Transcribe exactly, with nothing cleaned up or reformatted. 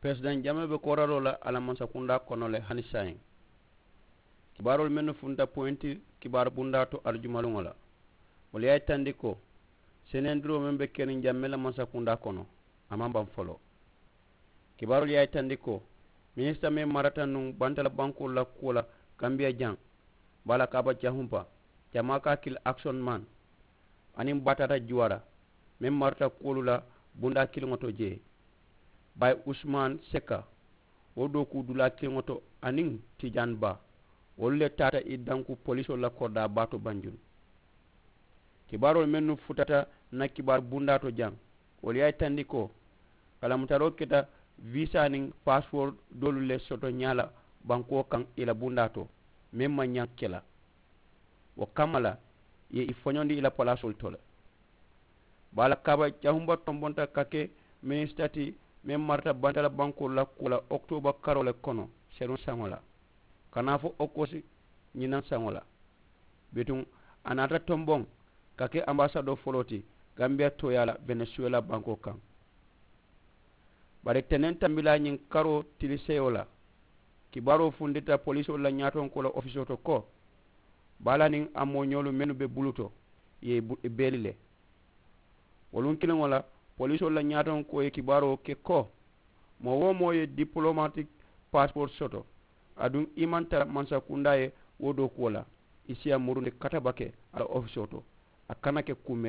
Peresidaŋ jamee be kooraloo la a la mansakundaa kono le hani saayiŋ. Kibaaroolu mennu funta poyinti kibaaru bundaa to aljuma luŋo la, wolu ye a yitandi ko senendiroo meŋ be keriŋ jamee la mansakundaa kono, a maŋ baŋ foloo. Kibaaroolu ye a yitandi ko minisita meŋ marata nuŋ bantala bankoolu la kuwo la kambiya jaŋ, baa la kaaba jahumpa, jamaa ka a kili akisoni man, aniŋ baataata juwaara meŋ marata kuwolu la bundaa kiliŋo to jee, bayi usumaani seka, wo dookuu dulaa kiliŋo to, aniŋ tijaani baa, wolu le taata i danku polisoolu la koridaa baa to banjulu. Kibaaroolu mennu futata n na kibaaru bundaa to jaŋ, wolu ye a yitandi ko kalamutaroo keta viisaa niŋ paasipoori doolu le soto ñaa la bankoo kaŋ i la bundaa to, meŋ maŋ ñaŋ ke la. Wo kamma la ì ye i foñondi i la palaasoolu to le. Baa la kaaba jahumba tombonta ka ke minisita ti meŋ marata bantala bankoolu la kuwo la okitooba karoo le kono seruŋ saŋo la, ka naa fo okosi ñinaŋ saŋo la. Bituŋ a naata tomboŋ ka ke ambaasadoo foloo ti gambiya tooyaa la benesuwela bankoo kaŋ. Bari teneŋ tambilaa ñiŋ karoo tili seyo la, kibaaroo fundita polisoolu la ñaatonkoo la ofisoo to ko baa la niŋ a mooñoolu mennu be bulu to, ì ye i beeli le. Wo luŋ kiliŋo la, polisoolu la ñaatonkoo ye kibaaroo ke ko moo-wo-moo ye dipolomatik paasipoori soto, aduŋ i maŋ tara mansakundaa ye wo dookuwo la, i si a murundi katabake a la ofisoo to, a kana ke kuu.